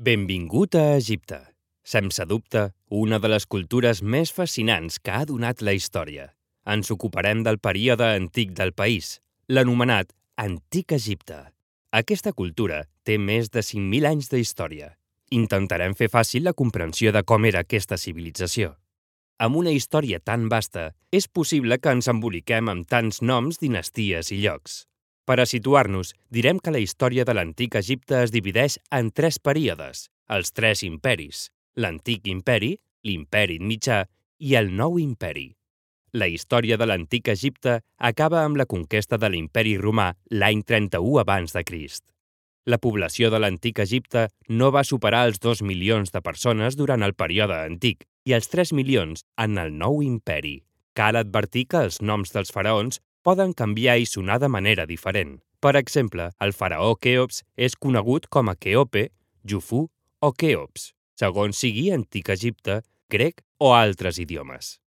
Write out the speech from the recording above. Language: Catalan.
Benvingut a Egipte. Sense dubte, una de les cultures més fascinants que ha donat la història. Ens ocuparem del període antic del país, l'anomenat Antic Egipte. Aquesta cultura té més de 5.000 anys d'història. Intentarem fer fàcil la comprensió de com era aquesta civilització. Amb una història tan vasta, és possible que ens emboliquem amb tants noms, dinasties i llocs. Per a situar-nos, direm que la història de l'Antic Egipte es divideix en 3 períodes, els 3 imperis, l'Antic Imperi, l'Imperi Mitjà i el Nou Imperi. La història de l'Antic Egipte acaba amb la conquesta de l'Imperi Romà l'any 31 abans de Crist. La població de l'Antic Egipte no va superar els 2 milions de persones durant el període antic i els 3 milions en el Nou Imperi. Cal advertir que els noms dels faraons poden canviar i sonar de manera diferent. Per exemple, el faraó Queops és conegut com a Queope, Jufu o Queops, segons sigui Antic Egipte, grec o altres idiomes.